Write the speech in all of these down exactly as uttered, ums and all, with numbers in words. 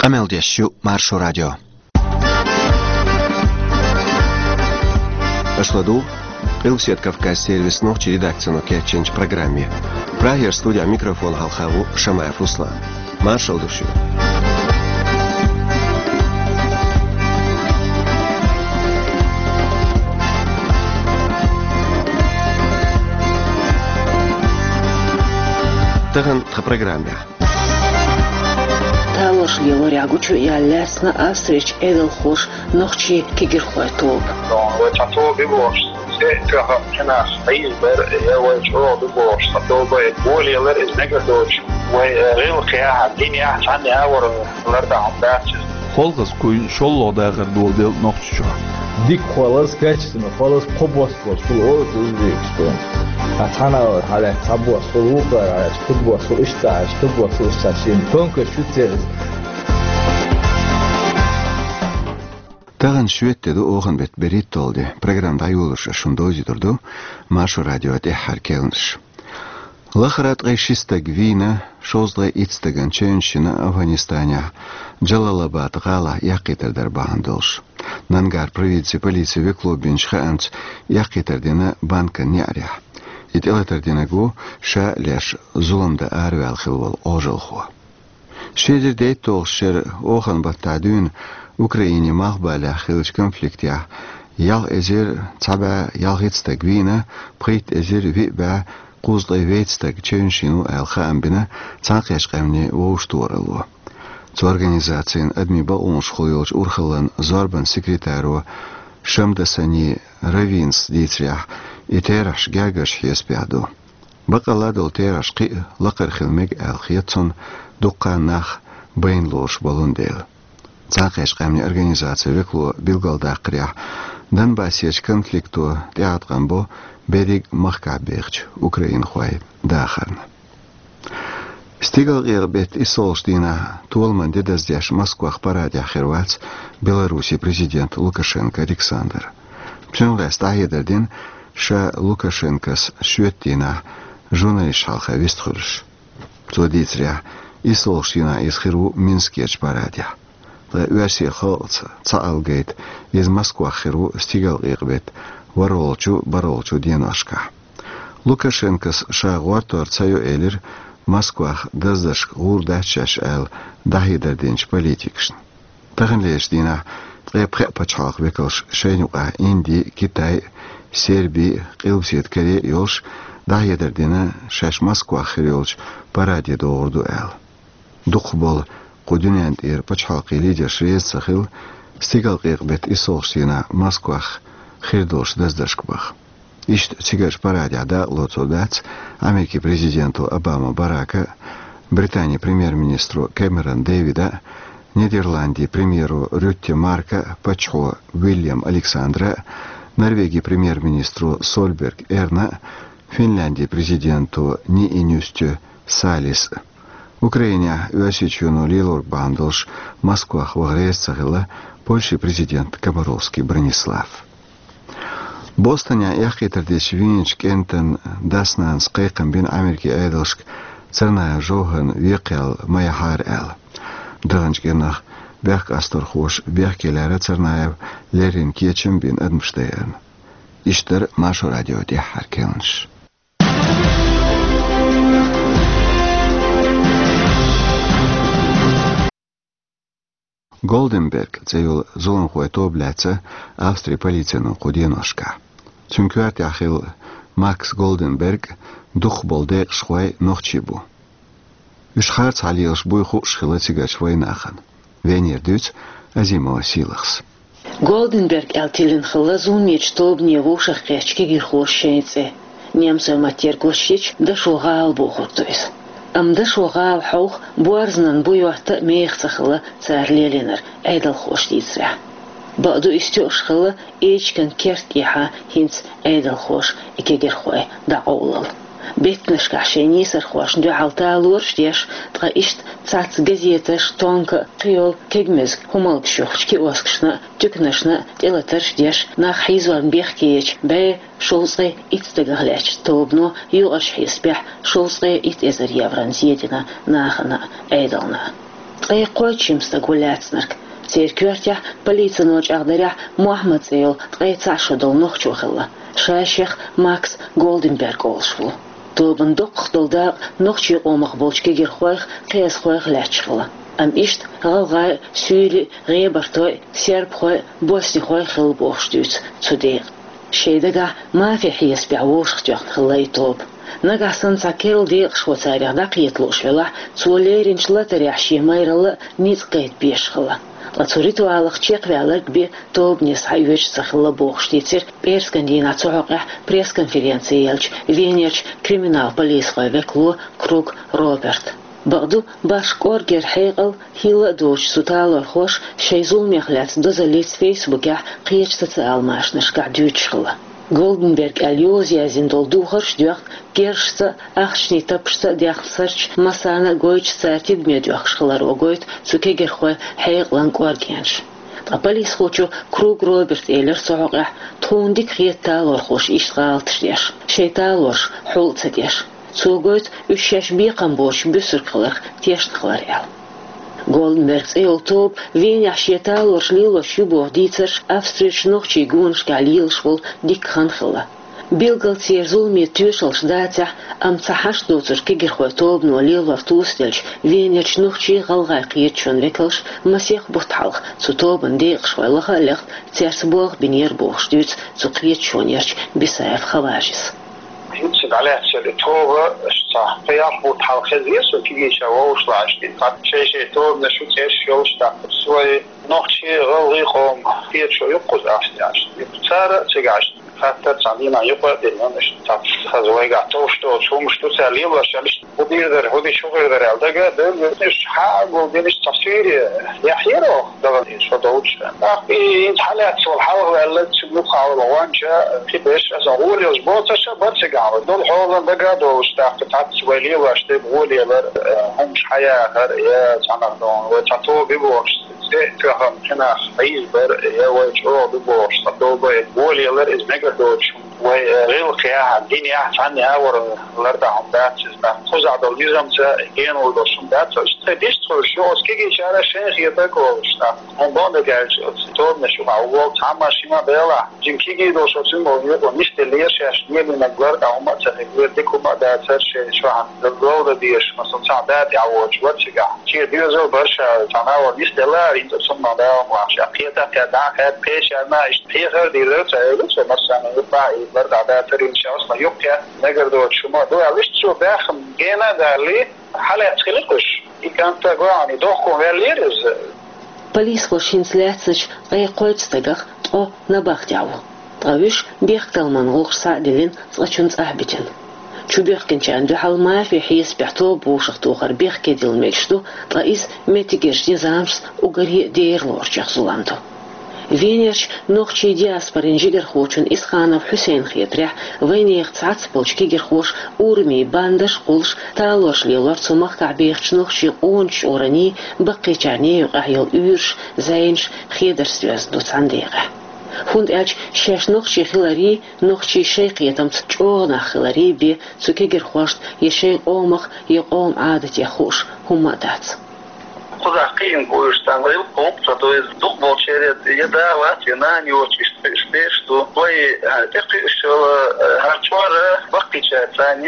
Къамел деш ю Маршо радио. Аша ладугӀу Къилбаседа Кавказ сервисан нохчийн редакцино кечйинчу программе. Прагера студехь микрофон хьалха ву Шамаев Руслан. Маршалла ду шуьга. Тахана тхан программехь. Талораш лелорехь гучуяьлла лаьцна Австрерчу Ӏедалхоша нохчийн кегирхойн тоба. Вай цхьа тоба ю бохуш, цхьа тоьхна цхьа нах Ӏийзабар, я вай чӀогӀа ду бохуш, цхьа тоба, болалелар иза мегар доцуш. Вай гӀиллакхехь, динехь цхьаьна а вара лардан хӀума дац иза. Холхазкуй шолгӀа дахар доладелла Нохчийчохь. Дика холаз, качественно холаз, кхо бос болуш хуьлу, олу узбекаш тхуна. Хьан цхьана а вара, хьан лаьцна цхьа бос хуьлу, вукхара хьан лаьцна кху бос хуьлу, иштта хьан лаьцна кху бос хуьлу, иштта шен тонкаш шу цераз. Тахана шоьтан де ду, оханан беттан берхӀитталгӀа де. Программа дӀайолош ас шуна довзуьйтур ду Маршо радион тӀаьххьара керланаш. Лахара ткъе ши стаг вийна, шовзткъе итт стагана чевнаш йина Афганистанехь Джалалабад гӀалахь эккхийтар дар бахьана долуш. Нангар провинцин полицин векало бинчу хаамца, эккхийтар дина банкан неӀарехь. И тӀелатар динарг ву ша а леш зулам дан араваьлла хилла волу Ӏожалхо. Ши эзар дейтталгӀачу шеран оханан баттахь дуьйна Украинин малхбалехь хиллачу конфликтехь ялх эзар цхьа бӀе ялхитта стаг вийна, пхийтта эзар виъ бӀе кхузткъе вейтта стаг чевнаш йина ву аьлла хаам бина Цхьаьнакхеттачу Къаьмнийн Вовшахтохаралло. Цу организацин адамийн бакъонашкахула йолчу урхаллан зорбанан секретаро Шамдасани Равинас дийцарехь, и терахьаш гергарчу хьесапехь ду. Баккъалла долу терахьаш кхин а лакхара хила мега аьлла хета цунна, дуккха а нах байна лоруш болун дела. Цхьаьнакхеттачу Къаьмнийн Организацин векало билгалдаккхарехь, Донбассерчу конфликто тӀеӀаткъам бо берриг махкахь бехачу украинхойн дахарна. Стигалкъекъа беттан иссалгӀачу дийнахь толаман де даздеш Москвахь парадехь хир вац Беларусин президент Лукашенко Александр. Цунах лаьцна дӀахьедар дина ша Лукашенкос шоьтан дийнахь журналисташ хьалха вистхуьлуш. Цо дийцарехь, иссалгӀачу дийнахь иза хир ву Минскерчу парадехь. Ткъа оьрсийн халкъаца цхьаалгайта, иза Москвахь хир ву стигалкъекъа беттан ворхӀалгӀачу, бархӀалгӀачу деношкахь. Лукашенкос ша гӀортор ца йо элира Москвахь даздаршка гӀур дац шаьш аьлла дӀахьедар динчу политикашна. Таханлерчу дийнахь ткъе пхеа пачхьалкхан векалш, шайна юкъахь Инди, Китай, Серби, Къилбаседа Коре йолуш, дӀахьедар дина шаьш Москвахь хир йолчу параде догӀур ду аьлла. Дукхахболу кху дуьнен тӀера пачхьалкхийн лидерш реза ца хилла, стигалкъекъа беттан иссалгӀачу дийнахь Москвахь хир долуш даздаршка баха. Иштта цигарчу парадехь дакъалоцур дац Америкин президенто Обама Барака, Британин премьер-министро Кэмерон Дэвида, Нидерландийн премьеро Рютте Марка, паччахьо Уильям Александра, Норвегин премьер-министро Сольберг Эрна, Финляндийн президенто Ниинюстю Салис. Украинехь Оьрсийчоьно лелорг бахьана долуш Москвахь ваха реза ца хилла Польшин президент Комаровский Бронислав. Бостонехь эккхийтар дича вийначу кӀентан дас-нанас кхайкхам бина Америкин Ӏедалшка Царнаев Жовхарна векхаяла ма яхьара аьлла. Даханчу кӀирнах бехкастархоша бехке лаьрра Царнаев леррина кечам а бина адамаш дайарна. Иштта дара Маршо радион тӀаьххьара керланаш. Голденберг цӀе йолу зуламхойн тоба лаьцна Австрин полицино кху деношкахь. Цуьнан коьртехь хилла Макс Голденберг дукхахболу декъашхой нохчий бу. Уьш харцахьа лелаш буй хууш хилла цигарчу вайнахана. Венера дуьйцу Азимова Сийлахьас. Голденберг аьлла тиллина хилла зуламечу тобане вовшахкхеттачу кегийрхоша шайн цӀе. Немцойн маттера гочдича, Дашо гӀала бохург ду иза. Амма Дашо гӀала хьовха, боьрзанан бу йотта а меха ца хилла цара лелийнарг, Ӏедалхоша дийцарехь. Бакъду, иза тоьуш хилла эчиган керта тӀехьа хӀинца Ӏедалхоша и кегийрхой дӀакъовлал. Беттанашкахь шайн нийсархошна дуьхьал талораш а деш, ткъа иштта цхьацца газеташ, тонка а, кхийолу кегамаза хӀуманаш юхучу киоскашна а, туьканашна а тӀелатарш а деш, нах хьийзорна бехке ечу бӀе шовзткъе итт стагах лаьттачу тобано юкъарчу хьесапехь шовзткъе итт эзар еврона зе дина нахана а, Ӏедална а. Ткъе кхойтта жима стаг ву лаьцнарг. Церан коьртехь, полицино чӀагӀдарехь, Мохьмад цӀе йолу ткъе цхьаъ шо долу нохчо хилла. Ша шех Макс Голденберг олуш ву. Тобанан доккхах долу дакъа нохчийн къомах болчу кегирхойх, кхиазхойх лаьтташ хилла. Амма иштта гӀалгӀай, суьйли, гӀебартой, сербхой, боснихой хилла бохуш дуьйцу цу декъан. Шайн дагахь мафи хьесапехь вовшахтоьхна хилла и тоба. Нагахь санна цхьа керла декъашхо царех дӀакхета лууш велахь, цо леринчу латарехь шен майралла а ницкъ гайта безаш хилла. Ткъа цу ритуалах чекхваьлларг бен тобане схьаоьцуш ца хилла бохуш дийцира пӀераскан дийнахь цу хьокъехь пресс-конференци еллачу Венерчу криминал полисхойн векало Круг Роберта. Бакъду, башха кӀоргера хьекъал хилла а доцуш, цу талорхоша шайн зуламех лаьцна дозаллица Фейсбукехь кхечу социал машанашкахь дуьйцуш хилла. Голденберг аьлла йоза яздина долу духарш а доьхна, герзашца а, ахчанийн таппашца а даьхна сарчу массарна а гойтуш, цара тидаме доьхкуш хиларо гойту цу кегирхойн хьекъалан кӀоргенаш. Ткъа полисхочо Круг Роберта элира цу хьокъехь, тхуна дика хета талорхоша иштта гӀалаташ деш, шайн талораш хьул а ца деш. Цо гойту уьш шаьш бекхам боцуш буьсург хиларх тешна хилар аьлла. Голденберг цӀе йолу тоба Венехь шен талораш лелош ю боху дийцарш Австрерчу нохчийн гонашкахь лелаш волу дикка хан хилла. Билггал церан зуламе тоьшаллаш дацахь а, амма цхьа хьашт доцург кегирхойн тобано лелор тосаделча, Венерчу нохчий а, гӀалгӀай кхеташонан векалш а масех бутт хьалха цу тобанан декъашхой лаха а лехна, цаьрца болх бинера бохуш дуьйцу цу кхеташонерчу Бисаев Хаважис. ХӀинца дӀалаьцна и тоба, аша цхьа пхи-ялх бутт хьалха хезира со кегийчара вовшахтоьхна. Цхьа шайн-шайн тобанаш ю, цӀераш йолуш, тӀаккха вай нохчийн, гӀалгӀайн къоман кхеташо ю-кх кхузахь Австрехь. Цара а цигахь хаттар цхьана дийнахь юкъа а дина, иштта цхьацца хаза вайгахь товш доцу хӀумнаш ду цара лелош аьлла, иштта хӀун дийр дара, хӀун дича хӀун хир дара аьлла дагадевлла, уьш хьа а гулдина, иштта цхьа суьйре яхьъяра оха, дала дийна шо долчу. ТӀаккха и хӀинца хьалаьцна волу хьалхаваьлларг, цуьнан юххехь волу гӀоьнча, кхин берш а, аса гӀоле йолуш боцурш а бара цигахь, вай долу хьолан дага а долуш, тӀаккха цхьацца вай лелош дерг гӀоле ялар, э, хӀумнаш хьаяхар, я цхьанхьа вай цхьа тоба ю бохуш, цӀе а тоьхна, цхьанхьа хьийзабар, я вай чӀогӀа ду бохуш, цхьа тоба гӀоле ялар, иза мегар доцуш хӀума. Вай, э, гӀиллакхехь, динехь, цхьаннехь а вара лардан хӀума дац иза. Кхузахь долу низамца генвала долуш хӀума дац иза. Иштта тхайн дистхуьлуш ю, оцу кегийчара шайна хетарг а олуш, тӀаккха хӀума бан дагахь аьлча, оцу тобанаш юкъахь ву волу цхьамма-шимма белахь, жима кегий долуш оцу юкъа нисделлера шаьш, лелийнарг лардан хӀума а ца хилира, дика хӀума а дацара шайн чохь, ловда дезаш, масала, цхьа да тӀехь воцуш вара цигахь. Шен доьзал бара ша, цхьа нахала нисделла, хӀинца цунна дала ма вахча, кхета а кхетта, дӀа а кхетта, кхечарна иштта хьехар а дийр дара, ца элира цо, массарна юкъахь и лардан дацара, хӀинца шаьш ма юккъе, мегар доцуш хӀума а ду аьлла, иштта цо баьхна гена а далий, хьалаьцна хилира уьш. И кӀант а гой, и дохко ваьллера иза. Полисхоша хӀинца лаьцначу ткъе кхойтта стагах ткъо набахтехь ву. Ткъа уьш бехктакхаман гӀуллакхаш схьа а диллина, цкъачунна цӀахь а битина. Чубоьхкинчарна дуьхьал мафи хьесапехь тоба вовшахтохар бехке дилла мегаш ду, ткъа иза меттигерчу низамашца уггаре а дера лоручех зулам ду. Венерчу нохчийн диаспорин жигархочун Исханов Хьусейнан хетарехь, вайнехан цхьацца болчу кегирхоша урамийн бандаш а кхуллуш, талораш лелор цу махкахь бехачу нохчийн къоначу чкъурийн, баккхийчарний юкъахь йолу уьйраш, зӀенаш хедарца доьзна ду цхьана декъехь. ХӀунда аьлча шаьш нохчий хиларий, нохчий шайн кхетамца чӀогӀа нах хиларий бен цу кегирхошна я шайн къомах, я къоман Ӏадатех хууш хӀумма а дац. Кхузахь кхиъна бу уьш, царна гӀиллакх гӀуллакх ца до иза. Дукхахболчеран я да вац, я нана йоцуш, иштта кхуьуш берш ду. Вай, а, тӀекхуьуш йолу, а, хӀара чкъур баккхийчаьрца цхьаьна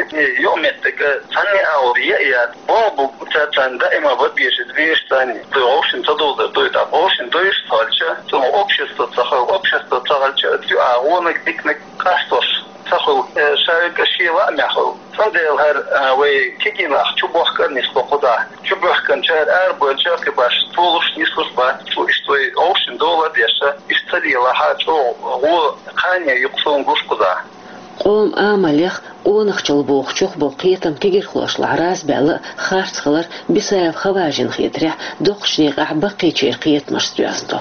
юкъаметтиг цхьанне а агӀор яа яц. Боху бу цаьрца цхьаьна даима бан безаш, безаш цхьаьна. Вовшийн ца дузур ду, тӀаккха вовшийн дуьйш ца хилча, цунах общество ца хилча, общество ца хилча, цу а вонаг, диканаг къастош ца хуьлу, э, шайга шен лаамехь хуьлу. Цундела хӀара, а, вай кегий нах чубохка а нисло кхузахь. Чубоьхкинчара арабевлча а кхин башха толуш, нислуш бац цо. Иштта вай вовшийн дола а деш, иштта ца лелахь а, чӀогӀа гӀо, кхане юкъа суна гуш кхузахь. Къоман амалех, къонахчалла бохучух болу кхетам кегирхошлахь раза баьлла а, харц хилар Бисаев Хаважина хетарехь доккхачу декъехь баккхийчеран кхетамашца доьзна ду.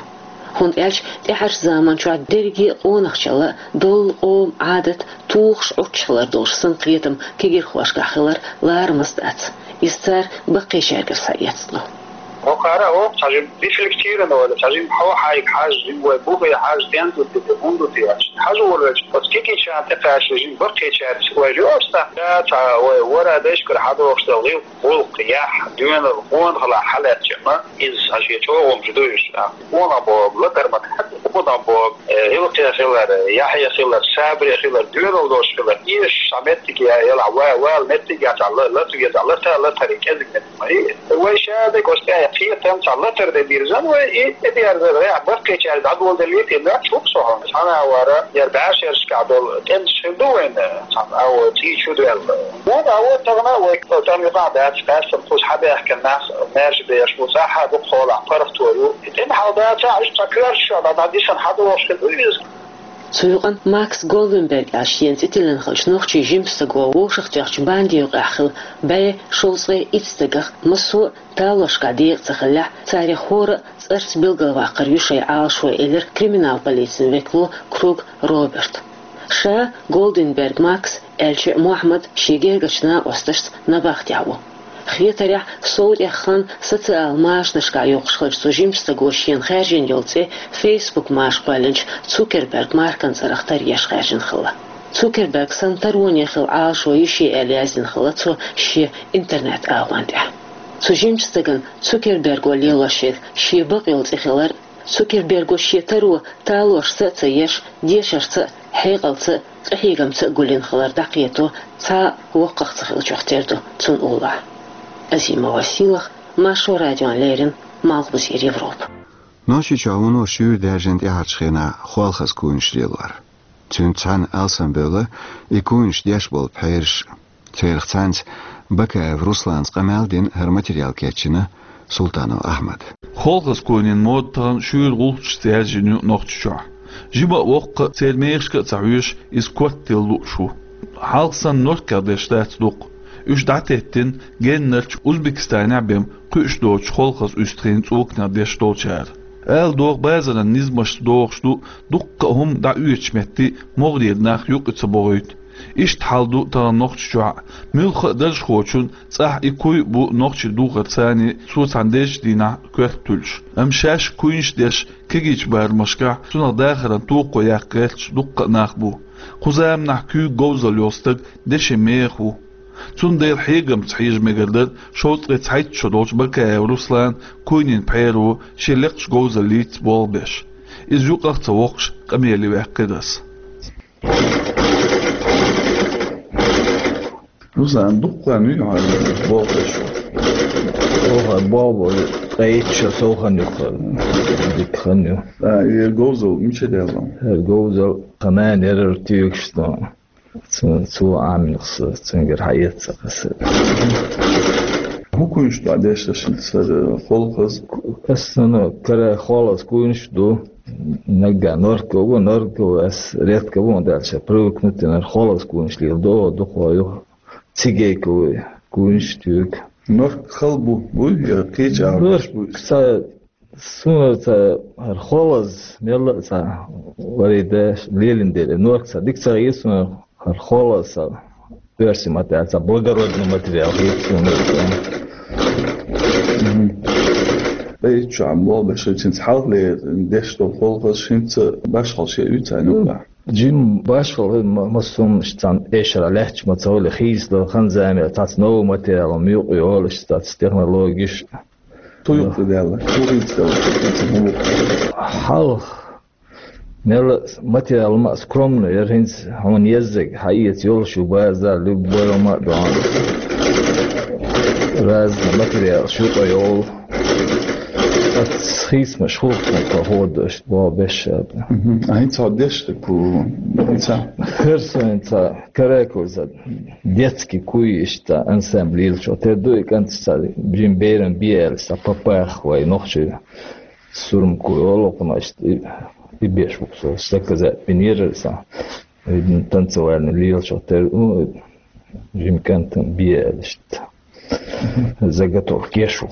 ХӀунда аьлча тӀаьхьарчу заманчохь дерриге а къонахчалла а, доллу къоман Ӏадат тухуш, Ӏуттуш хилар долуш санна кхетам кегирхошкахь хилар ларамаза дац. Иза цара баккхийчаьргара схьаэцна ду. Хокхара оха цхьа жим дефлектировано вала, цхьа жим хьо хьайга хьажа, жим вай бухе хьажа, тен ду те, хӀун ду те аьлча. Хьажа волча, оцу кикичан тӀекхаьча жим баккхийчаьрца вай лоьш сан. Да, цхьа вай вара дайшкара хьадохуш дала гӀилла, гӀуллакх, яхь, доьналла, къонахалахь хьалаьцча ма, иза цхьа шен чӀогӀа хӀумаш ду уьш. Къонах боху латар ма дац, къонах боху, э, гӀиллакхе хилар, яхье хилар, сабаре хилар, доьналла долуш хилар. Эшаш цхьа меттиг я, елахь ва-, вала меттиг я цхьа ла-, лату веза, лата, латаре кӀезиг меттиг. Вай ша дерг оцу тӀехь кхетам цхьа латар де дирзан вай, и тӀедерзар рехь баккхийчаьрга дӀадоладеллий те, ноьхча хӀума со хьуна. Цхьана а вара, яр бӀешерашкахь долу тӀемаш хир ду вайна, цхьана а во цӀий чу доьлла. Вон а во тахана вай тӀам юкъахь дац, къаьстина кхуза хьабаьхкина нах маьрша беш бу, цӀахь а дукха хьолахь паргӀато ю. И тӀемахьал дацахь, уьш цхьа коьртачохь дӀа-, дӀадисина хьадогӀуш хир ду иза. Цу юкъана Макс Голденберг аьлла шена цӀе тиллина хиллачу нохчийн жимачу стага вовшахтоьхначу банди юкъахь хилла бӀе шовзткъе итт стагах массо а талорашкахь декъа ца хиллехь, царах хӀора а цӀарца билгалваккхар ю шайн Ӏалашо, элира криминал полицин векало Круг Роберта. Ша Голденберг Макс, Элча Мохьмад шен гергарчу накъосташца набахтехь ву. Хетарехь, сов тӀех хан социал машанашкахь йоккхуш хиллачу цу жимачу стага шена хаьржина йолу цӀе Facebook маша кхоьллинчу Цукерберг Маркан цӀарах тара еш хаьржина хилла. Цукерберг санна тароне хилла Ӏалашо ю шен аьлла яздина хилла цо шен интернет-агӀон тӀехь. Цу жимачу стагана Цукерберго лелош ерг шен бакъйолу цӀе хилар, Цукерберго шен таро талорашца а ца еш, дешарца а, хьекъалца а, къахьегамца а гулйина хилар дӀакхето цхьа а воккхах ца хиллачух тера ду цунна уллохь. Азимова Сийлаха, Маршо радиона леррина, Малхбузера Европа. Нохчийчохь вуно шуьйра даьржина тӀаьхьарчу хенахь холхаза куйнаш лелор. Цуьнца цхьаьна алсамбевлла и куйнаш деш болу пхьераш. Церах цхьаьнца Бакаев Русланца къамел дина, хӀара материал кечйина Султанов Ахьмада. Холхаза куйнийн мода тахана шуьйра гӀулчашца яьржина ю Нохчийчохь. Жима а, воккха а, церан мехашка а ца хьоьжуш, иза корта тилла лууш ву. Хьалха санна норкех деш дац дукха. Уьш дӀатеттина геннарчу Узбекистанехь бен кхуьуш доцучу холхаза уьстагӀийн цӀоканех деш долчара. Ала догӀу, базаран низамашца догӀуш ду дуккха а хӀума дӀаоьцучу метте могӀарера нах юкъа ца бохуьйту. Иштта хьал ду тахана Нохчийчохь а. Муьлхха а даржахочун цӀахь и куй а бу нохчийн духар царний, цо цхьана дезачу дийнахь коьрта туьллуш. Амма шаьш куйнаш а деш, кегийчу барамашкахь цунах дахаран тохо яккха гӀерташ дуккха а нах бу. Кху заманахь куьйга говзалла йолу стаг деши меха ву. Цундела хьегамца хьежа мегар дара шовзткъе цхьайтта шо долчу Бакаев Руслана куйнийн пхьеро шен лекхачу говзаллица болх беш. Иза юкъах а ца воккхуш, къамеле ваьккхира ас. Руслан, дуккха хан ю хьо болх беш? Оха болх бо, ткъе итт шо сов хан ю, дика хан ю. А, и говзал мича даьлла? Э, говзал тхан нана яра туьйгаш тхуна. Цу-, цо Ӏаминах са, цуьнгара хьаэца аса. ХӀун куйнаш ду деш шуна, сара, холхаза? Аса, ну, кара холхаза куйнаш ду. Наггахь норка ву, норка ву, ас редко ву, даьлча привыкнуть дина, холхаза куйнаш лела догӀу, дукха ю. Цигейка ву, куйнаш туьйгу. Норка хала бу, буй, я кхечу агӀор беш буй? Норка ца Суна ца хӀара холхаза мелла а ца варида лелина дела, норка ца дика ца хета суна, хӀара холхаза ца оьрсийн материал, ца благородный материал хета суна. Мгм. Ай, чу ам болх беш, цуьнца хьалхале деш долу холхазаш хӀинца башхалла шен уьйцу хьайна юкъахь? Жим башхалла ма-, массо а хӀуманаш цхьана эшара лаьтташ ма ца хуьлу, хийцадала хан-зама, цхьацца новый материал ма юкъа йолуш, цхьацца технологиш. Цу юкъа даьлла, цу хӀинца даьлла, цу хӀинца хӀун бу? Хьалха мел материал ма скромно яра, хӀинца хьуна еззиг хьаэца йолуш ю базар, любой ма а дона. Разный материал шу къа йолу. Ас хийцамаш хӀух тхо хӀода аша, бо беш шада. Мгм. А хӀинца хьо деш ду ку, хӀинца? Херсонца, каракулца, детский куй иштта ансамбль лелачо. Тера ду и кӀант ца, бжин берам биэла, ца папах вай нохчий сурмку йолу, кхунаш и, и беш буксо, заказать бинера ца, видно, танцевальный лелачо. Тера, ну, жим кӀантан биэла иштта. Заготовка еш ву.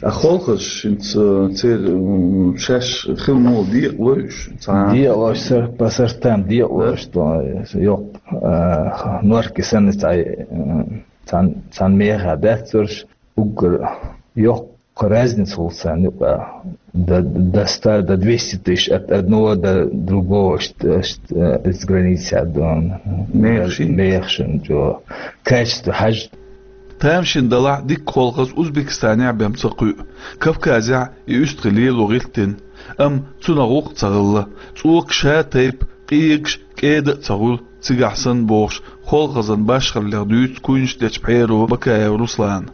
А холхазаш хӀинца церан, м, шаьш хила муха декъалой уьш? Цхьа декъалой уьш, сар-, по сортам декъалой уьш, да? То, йоккха, а, норки санна цхьа, м, цхьан, цхьан меха дац царш, уггар йоккха разница хул царна юкъа. До, до ста, до двести тысяч от одного до другого, ш-, ш-, э, из границы, а, до, Мехши? Мехшин, чё. Качество хьаж. Тамашийна далахь дикка холхаз Узбекистанехь бен ца кхуьу. Кавказехь и уьстагӀий лело гӀирттина. Амма цунах гӀуллакх ца хилла. ЦӀока ша тайпа, къегаш, кӀеда а ца хуьлу цигахь санна бохуш, холхазан башхаллех дуьйцу куйнаш дечу пхьеро Бакаев Руслана.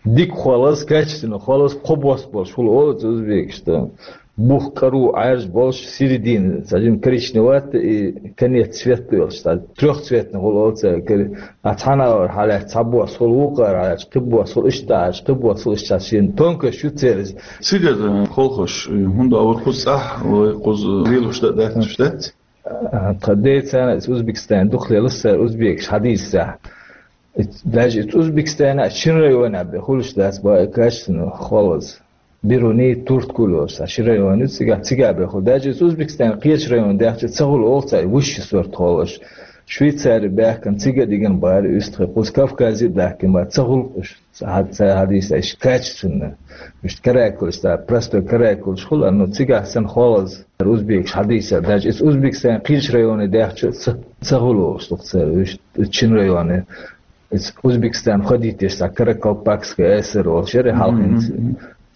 Дика холаз, качественно холаз, кхо бос болуш хуьлу оцу узбекашта. Бух кӀару Ӏаьржа болуш, середина, цхьа жима коричневатый и конец цвет йолуш, цхьа трёхцветный хуьлу оцу кори-, а цхьана агӀор хьалаьцна цхьа бос хуьлу, вукхара хьалаьцна кхин бос хуьлу, иштта Ӏаьржа кхин бос хуьлу, иштта шен тонкость ю церан. Цигара, э, холхаш, э, хӀунда а вара кхуза цӀахь, вай кхуза лелуш дан дац, уьш дац? А, тхан децана иза Узбекистан дукха лелас цара узбекаш хьадийсахь. Даже иза Узбекистана а шина районехь бен хуьлуш дац бакъ качественно холаз. Бируни, Турткуль олуш цхьа ши район ю цигахь, цигахь бен хуьлу. Даже иза Узбекистан кхечу районна даьхча ца хуьлу олу цхьа высший сорт холаш. Швейцари баьхкина цига дигина бара, уьстагӀий кхуза Кавказе а даьхкина бара, ца хуьлу уьш. Ца хьа-, ца хьадийса, иштта качественно. Иштта каракулаш, ца простой каракулаш хуьлу, но цигахь санна холаз, узбекаш хьадийса, даже иза Узбекистан кхечу районе даьхча ца, ца хуьлу олуш ду-кх цара, иштта шина районе. Иза Узбекистан ходитеш цхьа Каракалпакская ССР олуш яра хьалха хӀинца.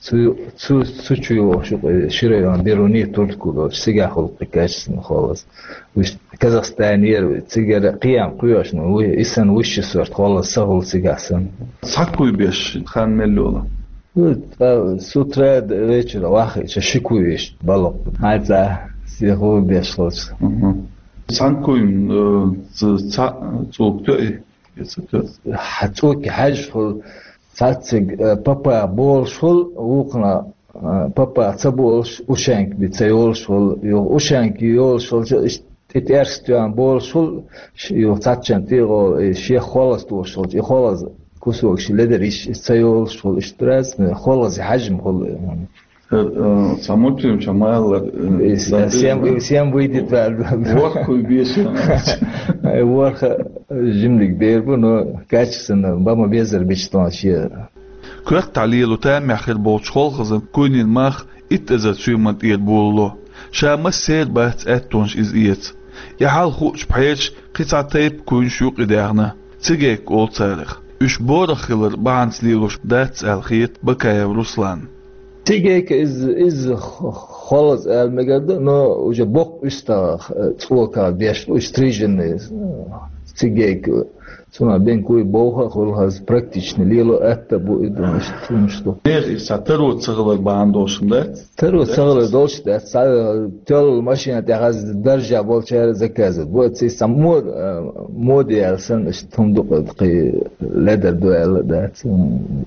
Цу, цу, цу чу йогӀуш ю-кх ши район, Бируни, Турткуль олуш, цигахь хуьлу-кх качественно холаз. Уьш Казахстанера, цигара кхиам кхоьхьуш, ну, ву-, и санна высший сорт холаз ца хуьлу цигахь санна. Цхьа куй беш хан мел йолу? Ну, ткъа с утра до вечера вахийча ши куй иштта балоккху. Хьайн цхьа сехур беш хилча. Мгм. Цхьана куйна, э, ц-, цхьа цӀока тоьу? Хьан цӀока хьаьжжа хуьлу, цхьаьцциг, э, папа болуш хуьлу, вукхана, э, папа ца болуш, ушанка би ца йолуш хуьлу, юха ушанка йолуш хуьлу, иштта тӀе тӀерс тоьхна болуш хуьлу, ш-, юха цхьаьччан тӀегӀо, и шех холаз тохуш хуьлу, и холаз кусок ши ледар йиш, и ца йолуш хуьлу, иштта разный, холаз хьаьжжа хуьлу. Э, э, цхьа мультфильм чу ма-аллара, э, И с-, дан всем, беза. Всем выйдет, да. Ворхуй беша. Ай, ворхӀ жимлиг бер бу, но качественно, бан ма безара бича тхуна шен. Коьртахь лело тамехь хир болчу холхазан куйнан мах итт эзар суьйранна тӀера болало. Ша массеран бац аьттонаш иза эца. И хьал хуучу пхьераш кхин цхьа тайпа куйнаш юкъа даьхна. Цигейка олу царах. Уьш борах хилар бахьанца лелош дац аьлла хета Бакаев Русланна. Цигейка иза, иза х-, холаз аьлла мегар ду, но уже боккха уьстагӀа, э, цӀока беш бу, уьш стриженный, э, цигейка. Цунах бен куй бовха а хуьлу хаза, практичный лело атта бу и ду, иштта хӀумаш ду. Нехан иза цхьа таро ца хилар бахьана долуш хӀума дац? Таро ца хилар долуш дац, цхьа, э, тоьлла машина тӀехь хаза даржехь болчара заказывать. Бу цига цхьа мод-, э, мода яьлла санна, иштта хӀума ду-кх, кхин ледар ду аьлла а дац. М,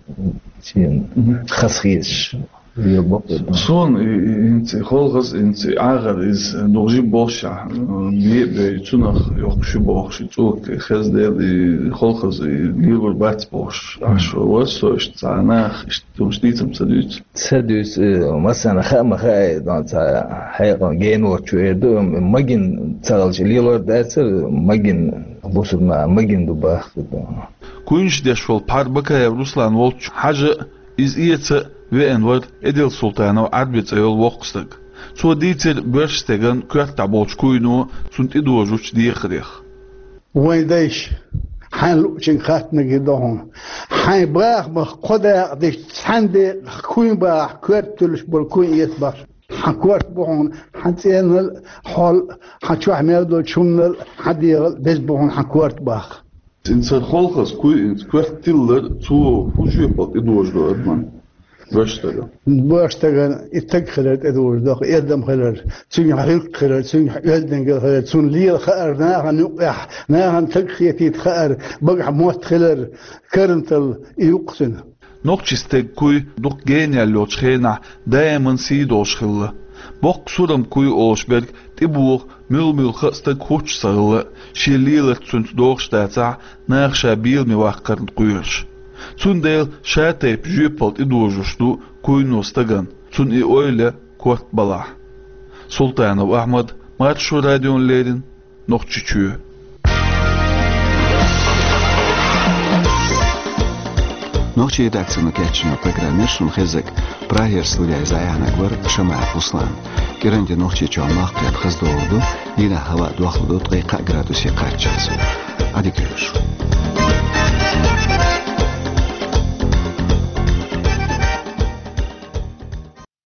Шен Мгм. хас хеташ, ве бакъ. Суна и, и, хӀинца и холхаз, хӀинца и Ӏахар иза духжи болшахь, бе а бей, цунах йоккхуш ю бохуш, и цӀока хеза дела, и холхаз, и лелор бац бохуш, Мгм. Ӏаш вара со иштта цхьа нах, иштта хӀумаш дийца-м ца дуьйцу. Ца дуьйцу, э, массарна хаа ма хаьа, дан цхьа хьекъал генор чу эр ду, м-, магин ца хилча лелор дацара, магин бусурна, магин ду бахка дан. Куйнаш деш волу пхьар Бакаев Руслан волчу хьажа а, иза эца а веана вара Эдил Султанов Ӏарби цӀе йолу воккха стаг. Цо дийцира боьрша стеган коьртахь болчу куйно цунна тӀедожучу дехарех. Вайн дайша, хьайн луучуьнга хаттарг хир ду хьуна. Хьайн бахамах кхо дакъа дича, цхьаьна декъах куйна бахахь, коьрта туьллуш болу куйна эца бахаш. Хьан корта бу хьуна, хьан цӀенал а, хьол а, хьан чохь мел долчу хӀуманал а, хьан дегӀал а беза бу хьуна хьан корта баха. Цуьнан цара холхаза куй, коьрта тиллар, цо хӀун жоьпалла тӀедожадо адаман? Боьрша стаган. Боьрша стаган и стаг хилар тӀедожадо, и адам хилар, цуьнан гӀиллакх хилар, цуьнан оьздангалла хилар, цунна лела хаар, нахана юкъехь, нахана стаг хетийта хаар, багахь мотт хилар, карантал и юкъ цуьнан. Нохчийн стеган куй дукха генаяьлла йолчу хенахь даиман сий долуш хилла. Боккха сурам куй олуш берг тӀебоха муьлха-муьлха а стаг хӀуттуш ца хилла, шен леларца цуьнца догӀуш дацахь, наха ша беламе ваккхарна кхоьруш. Цундела ша тайпа жоьпалла тӀедожош ду куйно стагана, цунна и ойла корта балахь. Султанов Ахьмад, Маршо радиона леррина, Нохчийчоь. Нохчийн редакцино кечйина программера шуна хеззарг. Прагера студиз дӀаяьхьнарг вар Шамаев Руслан. КӀиранди Нохчийчоа мах кхетта хаза доагӀа да, дийнахьа хӀаваъ дохлу да ткъе кхаа градусе кхаччалц. Ӏадика йойла шун.